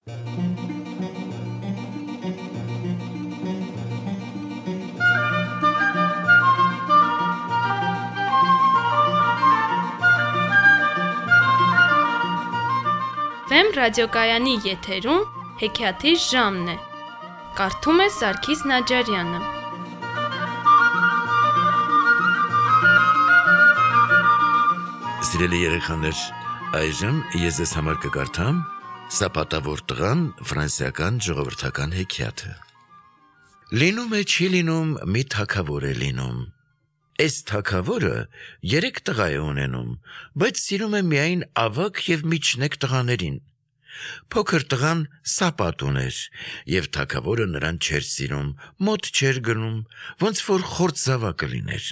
Վեմ ռադիոկայանի եթերում հեքիաթի ժամն է։ Կարդում է Սարգիս Նաջարյանը։ Սիրելի երեխաներ, այժմ ես ձեզ համար կկարդամ «Սապատավոր տղան» ֆրանսիական ժողովրդական հեքիաթը։ Լինում է չի լինում, մի թագավոր է լինում։ Այս թագավորը 3 տղա է ունենում, բայց սիրում է միայն ավագ և միջնեկ տղաներին։ Փոքր տղան Սապատ ուներ, և թագավորը նրան չէր սիրում, մոտ չէր գնում, ոնց որ խորտ զավակը լիներ։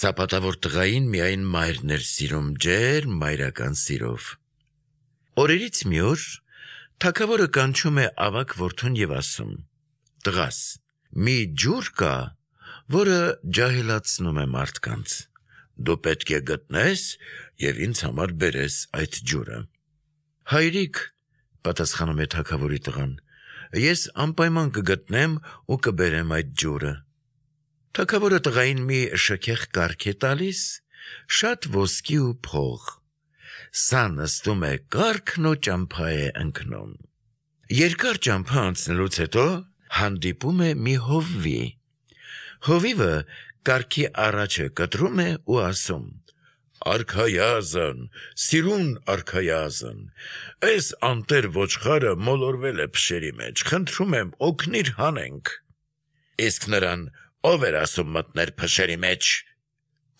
Սապատավոր տղային միայն մայրն էր սիրում ջերմ մայրական սիրով։ Օրերից մի օր թագավորը կանչում է ավագ որդուն և ասում. «Տղաս, մի ջուր կա, որը ջահելացնում է մարդկանց։ Դու պետք է գտնես և ինձ համար բերես այդ ջուրը»։ «Հայրիկ», պատասխանում է թագավորի տղան, «ես անպայման կգտնեմ ու կբերեմ այդ ջուրը»։ Թագավորը տղային մի շքեղ կառք է տալիս, շատ ոսկի ու փող։ Սա նստում է կառքն ու ճամփա է ընկնում։ Երկար ճամփա անցնելուց հետո հանդիպում է մի հովվի։ Հովիվը կառքի առաջը կտրում է ու ասում. «Արքայազն, սիրուն արքայազն, այս անտեր ոչխարը մոլորվել է փշերի մեջ, խնդրում եմ օգնիր հանենք»։ «Իսկ նրան ով էր ասում մտներ փշերի մեջ»։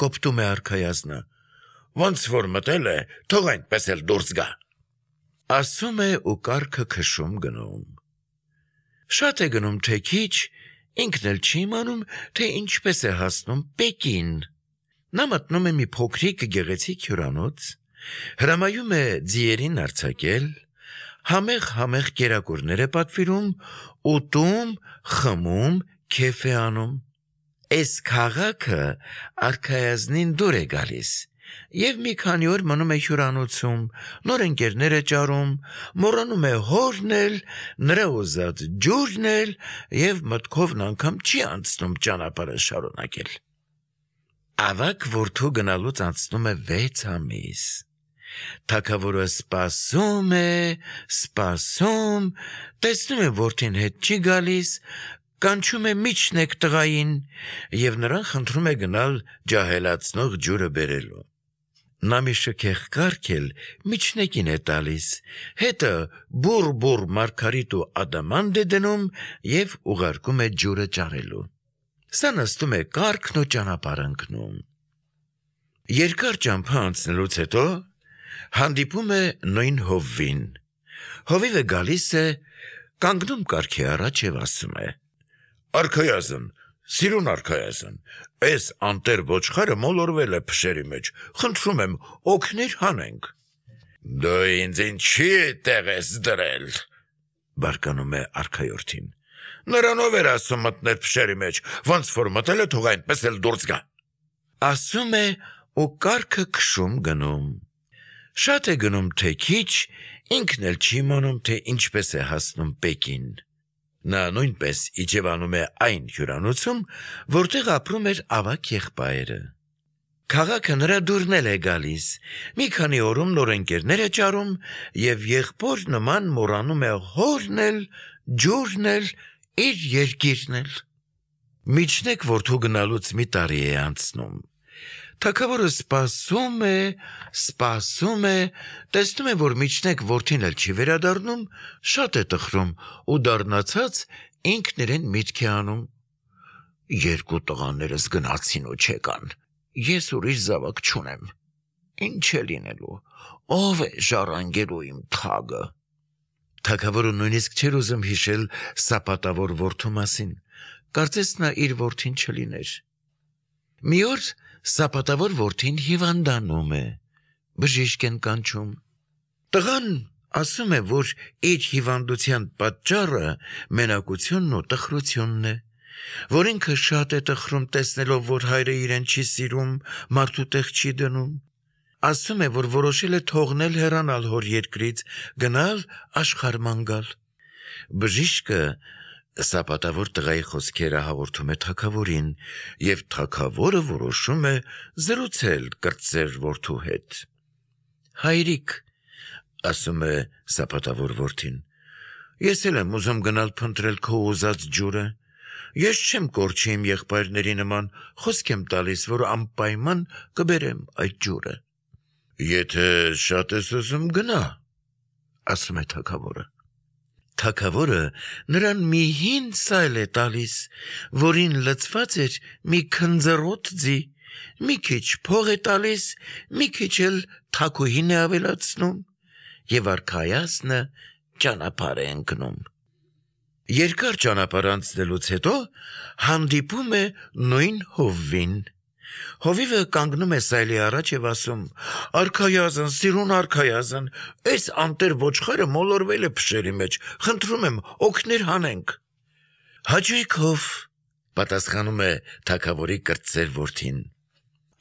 Կոպտում է արքայազնը։ «Ոնց որ մտել է, թող այնպես էլ դուրս գա»։ Ասում է ու կառքը քշում գնում։ Շատ է գնում, թե քիչ, ինքն էլ չի իմանում, թե ինչպես է հասնում Պեկին։ Նա մտնում է մի փոքրիկ գեղեցիկ հյուրանոց, հրամայում է ձիերին արձակել, համեղ կերակուրներ է պատվիրում, ուտում, խմում, քեֆ է անում։ Այս քաղաքը արքայազնին դուր է գալիս, և մի քանի օր մնում է հյուրանոցում, նոր ընկերներ է ճարում, մոռանում է հորն էլ, նրա ուզած ջուրն էլ, և մտքովն անգամ չի անցնում ճանապարհը շարունակել։ Ավագ որդու գնալուց անցնում է 6 ամիս։ Թագավորը սպասում է, տեսնում է որդին հետ չի գալիս, կանչում է միջնեկ տղային և նրան խնդրում է գնալ ջահելացնող ջուրը բերելու։ Նա մի շքեղ կառք էլ միջնեկին է տալիս, հետը բուռ մարգարիտ ու ադամանդ է դնում և ուղարկում է ջուրը ճարելու։ Սա նստում է կառքն ու ճանապարհ ընկնում։ Երկար ճամփա անցնելուց հետո հանդիպում է նույն հովվին։ Հովիվը գալիս է, կանգնում կառքի առաջ և ասում է. «Արքայազն, սիրուն արքայազն, այս անտեր ոչխարը մոլորվել է փշերի մեջ, խնդրում եմ օգնիր հանենք»։ «Դու ինձ ինչի տեղ ես դրել»։ Բարկանում է արքայորդին։ «Նրան ով էր ասում մտներ փշերի մեջ, ոնց որ մտել է, թող այնպես էլ դուրս գա»։ Ասում է ու կառքը քշում գնում։ Շատ է գնում, թե քիչ, ինքն էլ չի իմանում, թե ինչպես է հասնում Պեկին։ Նա նույնպես իջևանում է այն հյուրանոցում, որտեղ ապրում էր ավագ եղբայրը։ Քաղաքը նրա դուրն էլ է գալիս, մի քանի օրում նոր ընկերներ է ճարում և եղբոր նման մոռանում է հորն էլ, ջուրն էլ, իր երկիրն էլ։ Միջնեկ որդու գնալուց մի տարի է անցնում։ Թագավորը սպասում է, տեսնում է, որ միջնեկ որդին էլ չի վերադառնում, շատ է տխրում ու դառնացած ինքն իրեն միտք է անում. «Երկու տղաներս գնացին ու չեկան, ես ուրիշ զավակ չունեմ, ինչ է լինելու, ով է ժառանգելու իմ թագը»։ Թագավորը նույնիսկ չէր ուզում հիշել սապատավոր որդու մասին, կարծես նա իր որդին չլիներ։ Մի օր սապատավոր որդին հիվանդանում է, բժիշկ են կանչում։ Տղան ասում է, որ իր հիվանդության պատճառը մենակությունն ու տխրությունն է, որ ինքը շատ է տխրում տեսնելով, որ հայրը իրեն չի սիրում, մարդու տեղ չի դնում։ ասում է, որ որոշել է թողնել հեռանալ հոր երկրից, գնալ աշխարհման գալ։ Բժիշկը սապատավոր տղայի խոսքերը հաղորդում է թագավորին, եւ թագավորը որոշում է զրուցել կրտսեր որդու հետ։ Հայրիկ, ասում է սապատավոր որդին, ես էլ եմ ուզում գնալ փնտրել քո ուզած ջուրը։ Ես չեմ կորչի իմ եղբայրների նման, խոսք եմ տալիս, որ անպայման կբերեմ այդ ջուրը։ Եթե շատ ես ուզում գնա, ասում է թագավորը։ Թագավորը նրան մի հին սայլ է տալիս, որին լցված էր մի քնձռոտ ձի, մի քիչ փող է տալիս, մի քիչ էլ թագուհին է ավելացնում, եւ արքայազնը ճանապարհ է ընկնում։ Երկար ճանապարհ անցնելուց հետո հանդիպում է նույն հովվին։ Հովիվը կանգնում է սայլի առաջ եւ ասում. «Արքայազն, սիրուն արքայազն, այս անտեր ոչխարը մոլորվել է փշերի մեջ, խնդրում եմ, օգներ հանենք»։ Հաճույքով, պատասխանում է թագավորի կրտսեր որդին։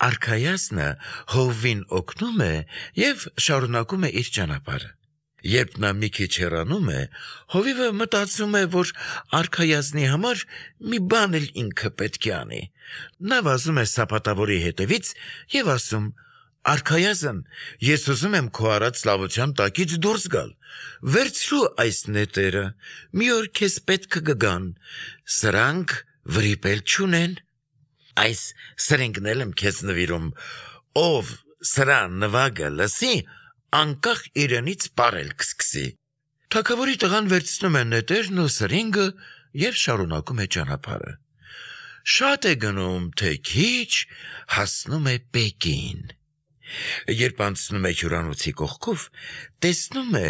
Արքայազնը հովվին օգնում է եւ շարունակում է իր ճանապարհը։ Երբ նա մի քիչ հեռանում է, հովիվը մտածում է, որ արքայազնի համար մի բան էլ ինքը պետք է անի։ Նա վազում է սապատավորի հետևից եւ ասում. «Արքայազն, ես ուզում եմ քո արած լավության տակից դուրս գալ։ Վերցրու այս նետերը, մի օր քեզ պետք կգան, սրանք վրիպել չունեն։ Այս սրինգն եմ քեզ նվիրում, ով սրա նվագը լսի, անկախ իրենից պարել կսկսի»։ Թագավորի տղան վերցնում է նետերն ու սրինգը եւ շարունակում է ճանապարհը։ Շատ է գնում, թե քիչ, հասնում է Պեկին։ Երբ անցնում է հյուրանոցի կողքով, տեսնում է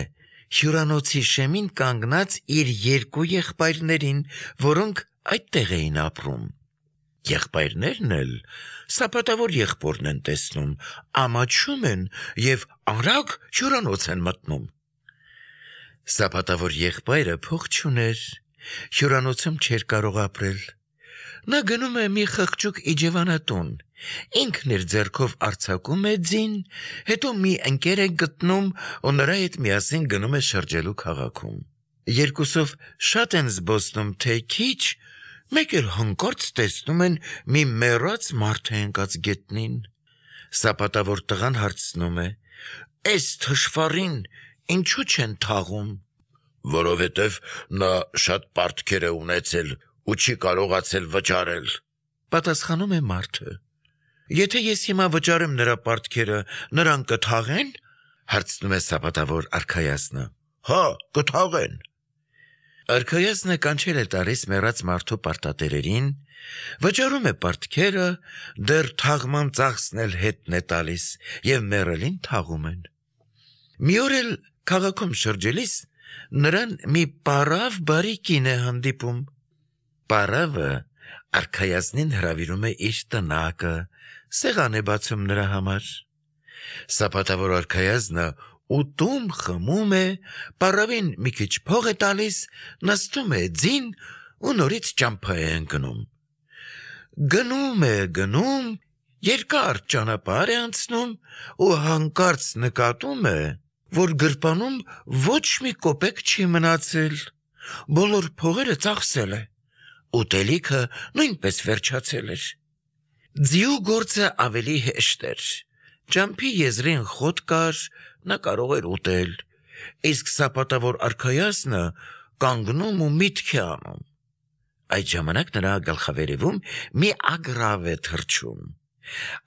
հյուրանոցի շեմին կանգնած իր երկու եղբայրներին, որոնք այդտեղ էին ապրում։ Եղբայրներն էլ սապատավոր եղբորն են տեսնում, ամաչում են եւ արագ հյուրանոց են մտնում։ Սապատավոր եղբայրը փող չուներ, հյուրանոցում չէր կարող ապրել։ Նա գնում է մի խղճուկ իջևանատուն, ինքն իր ձեռքով արձակում է ձին, հետո մի ընկեր է գտնում ու նրա հետ միասին գնում է շրջելու քաղաքում։ Երկուսով շատ են զբոսնում, թե քիչ, մեկ էլ հանկարծ տեսնում են մի մեռած մարդ է ընկած գետնին։ Սապատավոր տղան հարցնում է. «Այս թշվառին ինչու չեն թաղում»։ «Որովհետև նա շատ պարտքեր է ունեցել ու չի կարողացել վճարել», պատասխանում է մարդը։ «Եթե ես հիմա վճարեմ նրա պարտքերը, նրան կթաղեն»։ Հարցնում է սապատավոր արքայազնը։ «Հա, կթաղեն»։ Արքայազնը կանչել է տալիս մեռած մարդու պարտատերերին, վճարում է պարտքերը, դեռ թաղման ծախսն էլ հետն է տալիս եւ մեռելին թաղում են։ Մի օր էլ քաղաքում շրջելիս նրան մի պարավ բարի կին է հանդիպում։ Պարավը արքայազնին հրավիրում է իր տնակը, սեղան է բացում նրա համար։ Սապատավոր արքայազնը ուտում խմում է, պարավին մի քիչ փող է տալիս, նստում է ձին ու նորից ճամփա է ընկնում։ Գնում, երկար ճանապարհ է անցնում ու հանկարծ նկատում է, որ գրպանում ոչ մի կոպեկ չի մնացել, բոլոր փողերը ծախսել է, ուտելիքը նույնպես վերջացել էր։ Ձիու գործը ավելի հեշտ էր, ճամփի եզրին խոտ կար, նա կարող էր ուտել, իսկ սապատավոր արքայազնը կանգնում ու միտք է անում։ Այդ ժամանակ նրա գլխավերևում մի ագռավ է թռչում։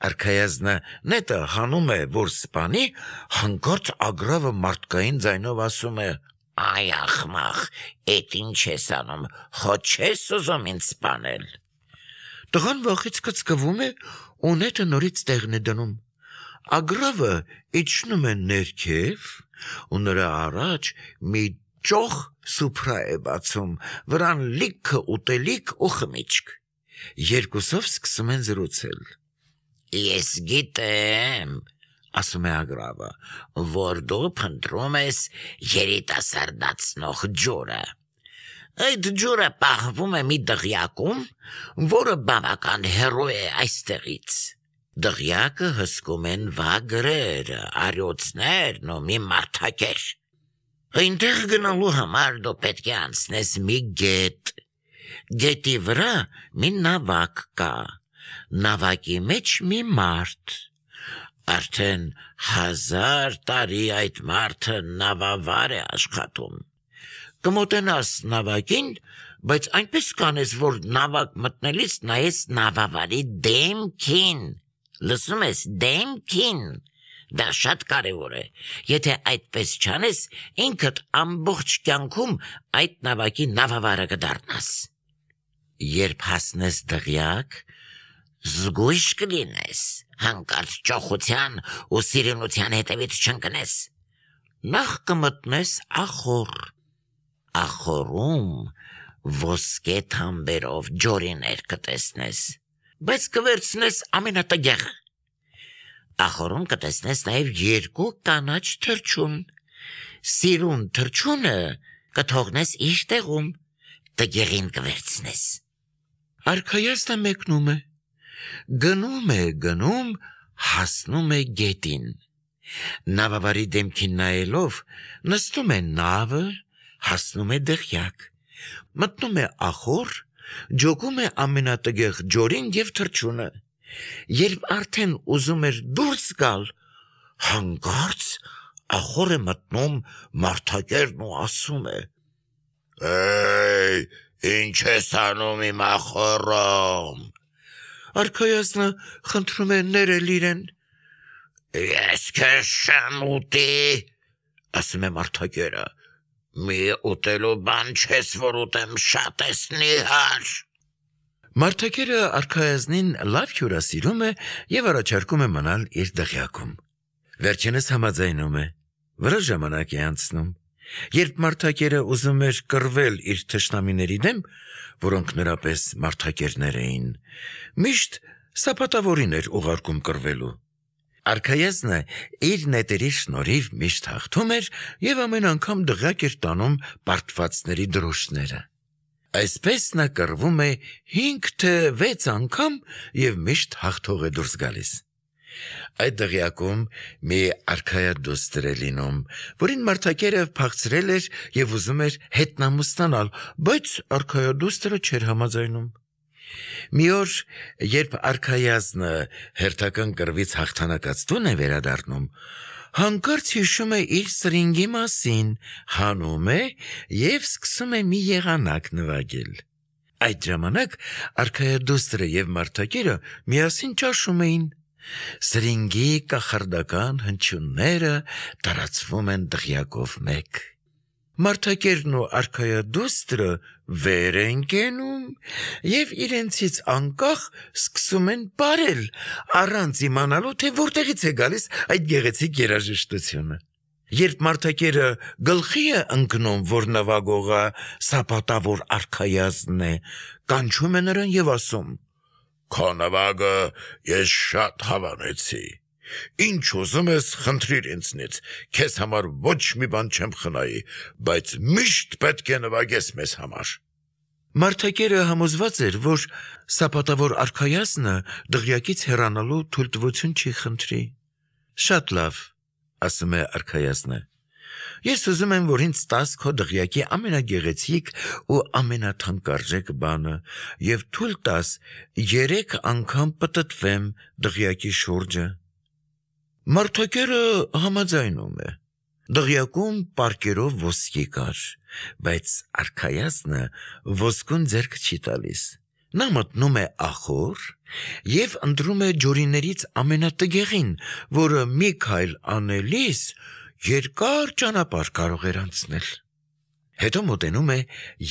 Արքայազնը նետը հանում է, որ սպանի, հանկարծ ագռավը մարդկային ձայնով ասում է. «Այ ախմախ, էդ ինչ ես անում, խոտ չես ուզում ինձ սպանել»։ Տղան վախից կծկվում է ու նետը նորից տեղն է դնում։ Ագռավը իջնում է ներքև ու նրա առաջ մի ճոխ սուփրա է բացում, վրան լիքը ուտելիք ու խմիչք։ Երկուսով սկսում են զրուցել։ «Ես գիտեմ», ասում է ագռավը, «որ դու փնտրում ես երիտասարդացնող ջուրը։ Այդ ջուրը պահվում է մի դղյակում, որը բավական հեռու է այստեղից։ Դղյակը հսկում են վագրերը, արյոցներն ու մի մարդակեր։ Այնտեղ գնալու համար դու պետք է անցնես մի գետ։ Գետի վրա մի նավակ կա, նավակի մեջ մի մարդ։ Արդեն 1000 տարի այդ մարդը նավավար է աշխատում։ Կմոտենաս նավակին, բայց այնպես կանես, որ նավակ մտնելիս նայես նավավարի դեմքին։ Լսում ես, դեմքին։ Դա շատ կարևոր է։ Եթե այդպես չանես, ինքդ ամբողջ կյանքում այդ նավակի նավավարը կդառնաս։ Երբ հասնես դղյակ, զգույշ կլինես, հանկարծ ճոխության ու սիրունության հետևից չընկնես։ Նախ կմտնես ախոր։ Ախորում ոսկե թամբերով ջորիներ կտեսնես, բայց կվերցնես ամենատգեղը։ Ախորում կտեսնես նաև 2 կանաչ թռչուն։ Սիրուն թռչունը կթողնես իր տեղում, տգեղին կվերցնես։ Արքայազնը մեկնում է, գնում, հասնում է գետին։ Նավավարի դեմքին նայելով, նստում է նավը, հասնում է դղյակ, մտնում է ախոր, ջոկում է ամենատգեղ ջորին և թռչունը։ Երբ արդեն ուզում էր դուրս գալ, հանկարծ ախոր է մտնում մարդակերն ու ասում է. «Էй, ինչ ես անում իմ ախորում»։ Արքայազնը խնդրում է ներել իրեն։ «Ես քեզ չեմ ուտի», ասում է մարդակերը։ «Մի ուտելու բան չես, որ ուտեմ, շատ ես նիհար»։ Մարդակերը արքայազնին լավ հյուրասիրում է և առաջարկում է մնալ իր դղյակում։ Վերջինս համաձայնում է, որոշ ժամանակ է անցնում։ Երբ մարդակերը ուզում էր կռվել իր թշնամիների դեմ, որոնք նրա պես մարդակերներ էին, միշտ սապատավորին էր ուղարկում կռվելու։ Արքայազնը իր նետերի շնորհիվ միշտ հաղթում էր և ամեն անգամ դղյակ էր տանում պարտվածների դրոշները։ Այսպես նա կռվում է 5 թե 6 անգամ և միշտ հաղթող է դուրս գալիս։ Այդ դղյակում մի արքայադուստր է լինում, որին մարդակերը փախցրել էր և ուզում էր հետնամուս ստանալ, բայց արքայադուստրը չէր համաձայնում։ Մի օր, երբ արքայազնը հերթական կռվից հաղթանակած տուն է վերադառնում, հանկարծ հիշում է իր սրինգի մասին, հանում է և սկսում է մի եղանակ նվագել։ Այդ ժամանակ արքայադուստրը և մարդակերը միասին ճաշում էին։ Սրինգի կախարդական հնչյունները տարածվում են դղյակով մեկ։ Մարդակերն ու արքայադուստրը վեր են կենում և իրենցից անկախ սկսում են պարել, առանց իմանալու, թե որտեղից է գալիս այդ գեղեցիկ երաժշտությունը։ Երբ մարդակերը գլխի է ընկնում, որ նվագողը սապատավոր արքայազնն է, կանչում է նրան և ասում. «Քո նվագը ես շատ հավանեցի։ Ինչ ուզում ես, խնդրիր ինձնից, քեզ համար ոչ մի բան չեմ խնայի, բայց միշտ պետք է նվագես մեզ համար»։ Մարդակերը համոզված էր, որ սապատավոր արքայազնը դղյակից հեռանալու թույլտվություն չի խնդրի։ «Շատ լավ», ասում է արքայազնը, «ես ուզում եմ, որ ինձ տաս քո դղյակի ամենագեղեցիկ ու ամենաթանկարժեք բանը և թույլ տաս 3 անգամ պտտվեմ դղյակի շուրջը»։ Մարդակերը համաձայնում է։ Դղյակում պարկերով ոսկի կար, բայց արքայազնը ոսկուն ձեռք չի տալիս։ Նա մտնում է ախոր և ընտրում է ջորիներից ամենատգեղին, որը մի քայլ անելիս երկար ճանապարհ կարող էր անցնել։ Հետո մոտենում է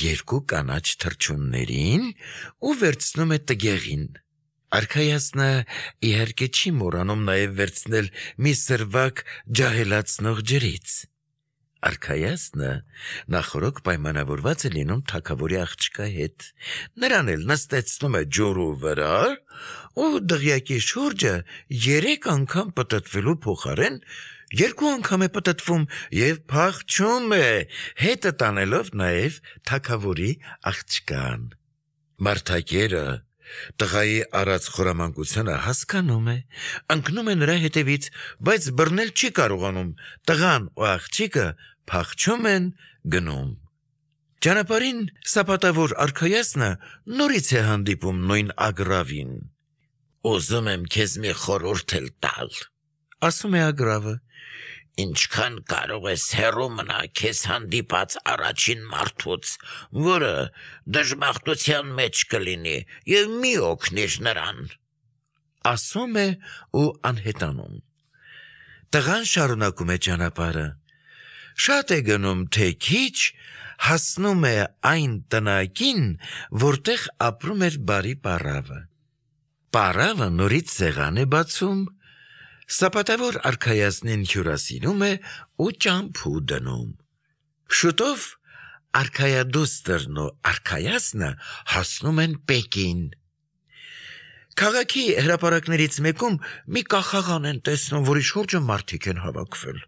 2 կանաչ թռչուններին ու վերցնում է տգեղին։ Արքայազնը իհարկե չի մոռանում նաև վերցնել մի սրվակ ջահելացնող ջրից։ Արքայազնը նախօրոք պայմանավորված է լինում թագավորի աղջկա հետ։ Նրան էլ նստեցնում է ջուրու վրա ու դղյակի շուրջը 3 անգամ պտտվելու փոխարեն 2 անգամ է պտտվում և փախչում է, հետը տանելով նաև թագավորի աղջկան։ Մարդակերը Տղայի արած խորամանկությունը հասկանում է, ընկնում է նրա հետևից, բայց բռնել չի կարողանում, տղան ու աղջիկը փախչում են գնում։ Ճանապարհին սապատավոր արքայազնը նորից է հանդիպում նույն ագռավին։ Ուզում եմ քեզ մի խորհուրդ տալ, ասում է ագռավը։ ինչքան կարող ես հեռու մնա քեզ հանդիպած առաջին մարդուց, որը դժբախտության մեջ կլինի, եւ մի օգնիր նրան, ասում է ու անհետանում։ Տղան շարունակում է ճանապարհը։ Շատ է գնում, թե քիչ, հասնում է այն տնակին, որտեղ ապրում էր բարի պառավը։ Պառավը նորից սեղան է բացում, սապատավոր արքայազնին հյուրասիրում է ու ճամփու դնում։ Շուտով արքայադուստրն ու արքայազնը հասնում են Պեկին։ Քաղաքի հրապարակներից մեկում մի կախաղան են տեսնում, որի շուրջը մարդիկ են հավաքվել։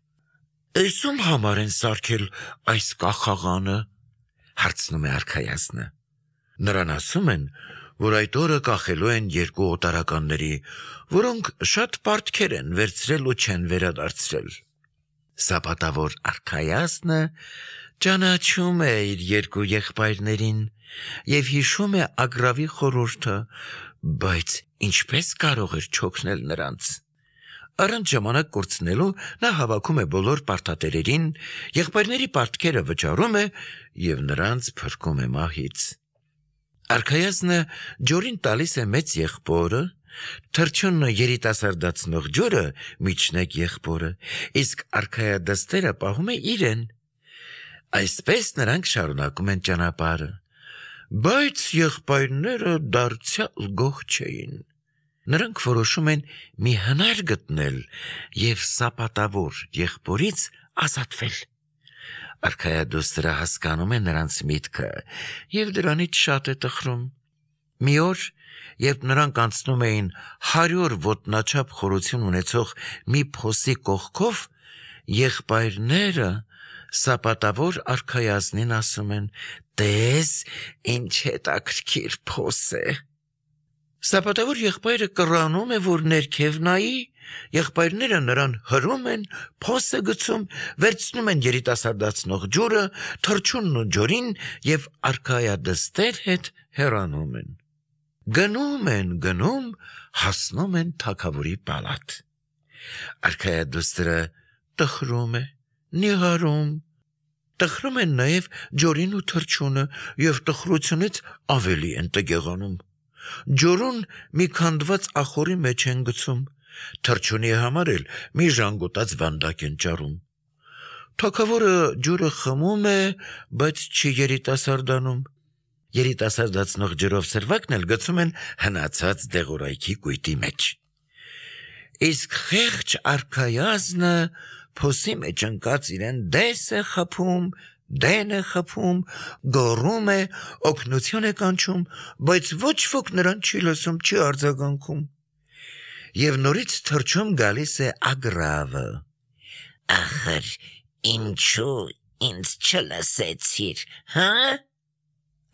«Էս ում համար են սարքել այս կախաղանը», հարցնում է արքայազնը։ Նրան ասում են, որ այդ օրը կախելու են երկու օտարականների, որոնք շատ պարտքեր են վերցրել ու չեն վերադարձրել։ Սապատավոր արքայազնը ճանաչում է իր երկու եղբայրներին եւ հիշում է ագռավի խորհուրդը, բայց ինչպես կարող էր չօգնել նրանց։ Առանց ժամանակ կորցնելու նա հավաքում է բոլոր պարտատերերին, եղբայրների պարտքերը վճարում է եւ նրանց փրկում է մահից։ Արքայազնը ջորին տալիս է մեծ եղբորը, թռչունը երիտասարդացնող ջուրը միջնեկ եղբորը, իսկ արքայադստերը պահում է իրեն։ Այսպես նրանք շարունակում են ճանապարհը, բայց եղբայրները դարձյալ գոհ չէին։ Նրանք որոշում են մի հնար գտնել եւ սապատավոր եղբորից ազատվել։ Արքայադուստրը հասկանում է նրանց միտքը եւ դրանից շատ է տխրում։ Մի օր, երբ նրանք անցնում էին 100 ոտնաչափ խորություն ունեցող մի փոսի կողքով, եղբայրները սապատավոր արքայազնին ասում են. «Տես, ինչ հետաքրքիր փոս է»։ Սապատավոր եղբայրը կռանում է, որ ներքև նայի, եղբայրները նրան հրում են, փոսը գցում, վերցնում են երիտասարդացնող ջուրը, թռչունն ու ջորին եւ արքայադստեր հետ հեռանում են։ Գնում, հասնում են թագավորի պալատ։ Արքայադուստրը տխրում է, նիհարում։ Տխրում են նաեւ ջորին ու թռչունը եւ տխրությունից ավելի են տգեղանում։ Ջորուն մի քանդված ախորի մեջ են գցում, թռչունի համար էլ մի ժանգոտած վանդակ են ճարում։ Թագավորը ջուրը խմում է, բայց չի երիտասարդանում։ Երիտասարդացնող ջրով սրվակն էլ գցում են հնացած դեղորայքի կույտի մեջ։ Իսկ խեղճ արքայազնը փոսի մեջ ընկած իրեն դես է խփում, դեն է խփում, գոռում է, օգնություն է կանչում, բայց ոչ ոք նրան չի լսում, չի արձագանքում։ Եվ նորից թռչում գալիս է ագռավը։ ախր ինչու ինձ չլսեցիր, հա,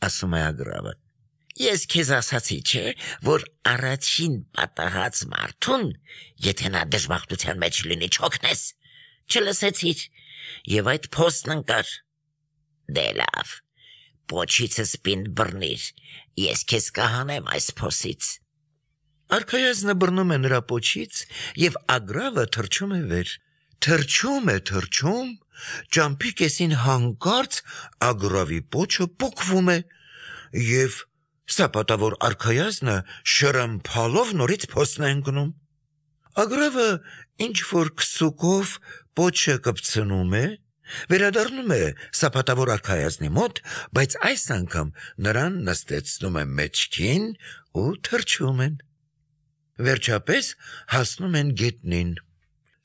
ասում է ագռավը։ Ես քեզ ասացի, չէ, որ առաջին պատահած մարդուն, եթե նա դժբախտության մեջ լինի, չօգնես, չլսեցիր, եւ այդ փոստն ընկար։ Դե լավ, պոչիցս պինդ բռնիր, ես քեզ կհանեմ այս փոսից։ Արքայազնը բռնում է նրա պոչից եւ ագռավը թռչում է վեր։ Թռչում, ճամփի կեսին հանկարծ ագռավի պոչը պոկվում է եւ սապատավոր արքայազնը շրմփալով նորից փոսն է ընկնում։ Ագռավը ինչ որ քսուկով պոչը կպցնում է, վերադառնում է սապատավոր արքայազնի մոտ, բայց այս անգամ նրան նստեցնում է մեջքին ու թռչում են։ Վերջապես հասնում են գետնին։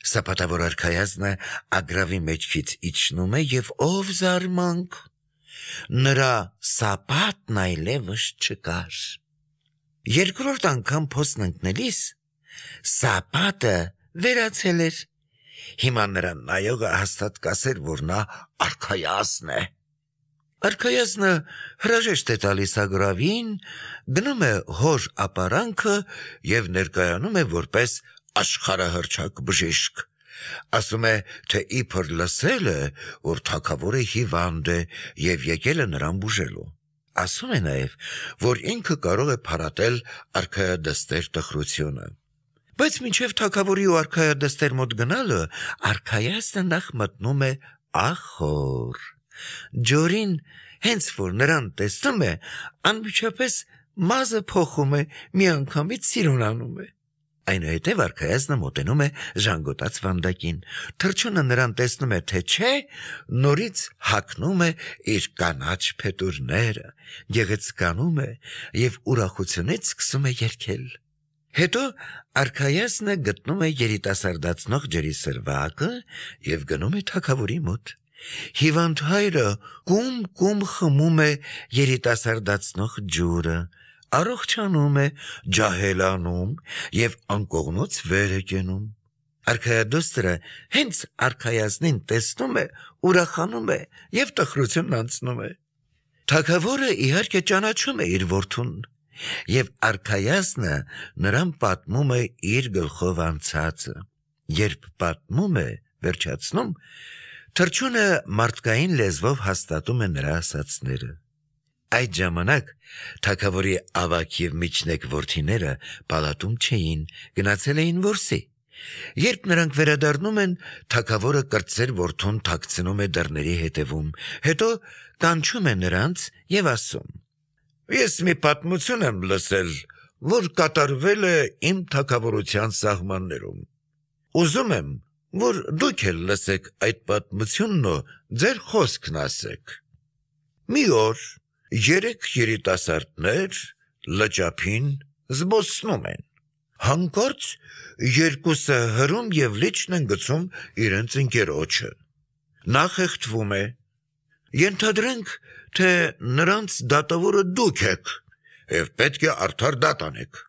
Սապատավոր արքայազնը ագռավի մեջքից իջնում է եւ ով զարմանք, նրա սապատն այլևս չկար։ Երկրորդ անգամ փոսն ընկնելիս սապատը վերացել էր։ Հիմա նրան նայողը հաստատ կասեր, որ նա արքայազն է։ Արքայազնը հրաժեշտ է տալիս ագրավին, գնում է հոր ապարանքը և ներկայանում է որպես աշխարհահռչակ բժիշկ։ Ասում է, թե իբր լսել է, որ թագավորը հիվանդ է և եկել է նրան բուժելու։ Ասում է նաև, որ ինքը կարող է փարատել արքայադստեր տխրությունը։ Բայց մինչև թագավորի ու արքայադստեր մոտ գնալը, արքայազնը նախ մտնում է ախոր։ Ջորին, հենց որ նրան տեսնում է, անմիջապես մազը փոխում է, միանգամից սիրունանում է։ Այնուհետև արքայազնը մոտենում է ժանգոտած վանդակին, թռչունը նրան տեսնում է, թե չէ, նորից հագնում է իր կանաչ փետուրները, գեղեցկանում է և ուրախությունից սկսում է երգել։ Հետո արքայազնը գտնում է երիտասարդացնող ջրի սրվակը և գնում է թագավորի մոտ։ Հիվանդ հայրը կում խմում է երիտասարդացնող ջուրը, առողջանում է, ջահելանում և անկողնուց վեր է կենում։ Արքայադուստրը հենց արքայազնին տեսնում է, ուրախանում է և տխրությունն անցնում է։ Թագավորը իհարկե ճանաչում է իր որդուն, և արքայազնը նրան պատմում է իր գլխով անցածը։ Երբ պատմում է, վերջացնում, թռչունը մարդկային լեզվով հաստատում է նրա ասածները։ Այդ ժամանակ թագավորի ավագ և միջնեկ որդիները պալատում չէին, գնացել էին որսի։ Երբ նրանք վերադառնում են, թագավորը կրտսեր որդուն թաքցնում է դռների հետևում, հետո կանչում է նրանց և ասում. «Ես մի պատմություն եմ լսել, որ կատարվել է իմ թագավորության սահմաններում։ Ուզում եմ, որ դուք էլ լսեք այդ պատմությունն ու ձեր խոսքն ասեք։ Մի օր 3 երիտասարդներ լճափին զբոսնում են։ Հանկարծ երկուսը հրում և լիճն են գցում իրենց ընկերոջը։ Նա խեղդվում է։ Ենթադրենք, թե նրանց դատավորը դուք եք և պետք է արդար դատ անեք։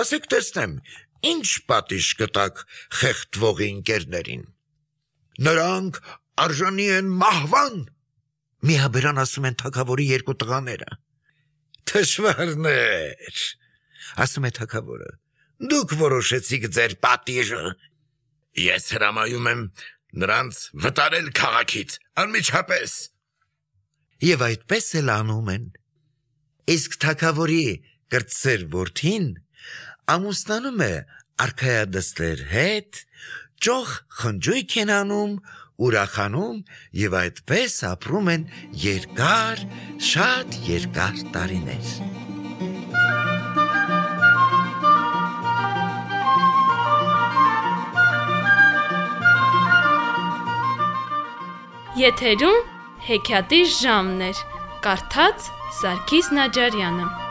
Ասեք տեսնեմ, ինչ պատիժ կտաք խեղդվողի ընկերներին։ Նրանք արժանի են մահվան, միաբերան ասում են թագավորի 2 տղաները։ Թշվառներ, ասում է թագավորը, դուք որոշեցիք ձեր պատիժը։ Ես հրամայում եմ նրանց վտարել քաղաքից անմիջապես։ Եվ այդպես էլ անում են։ Իսկ թագավորի կրտսեր որդին ամուսնանում է արքայադստեր հետ, ճոխ խնջույք են անում, ուրախանում և այդպես ապրում են երկար, շատ երկար տարիներ։ Եթերում հեքիաթի ժամն էր, կարդաց Սարգիս Նաջարյանը։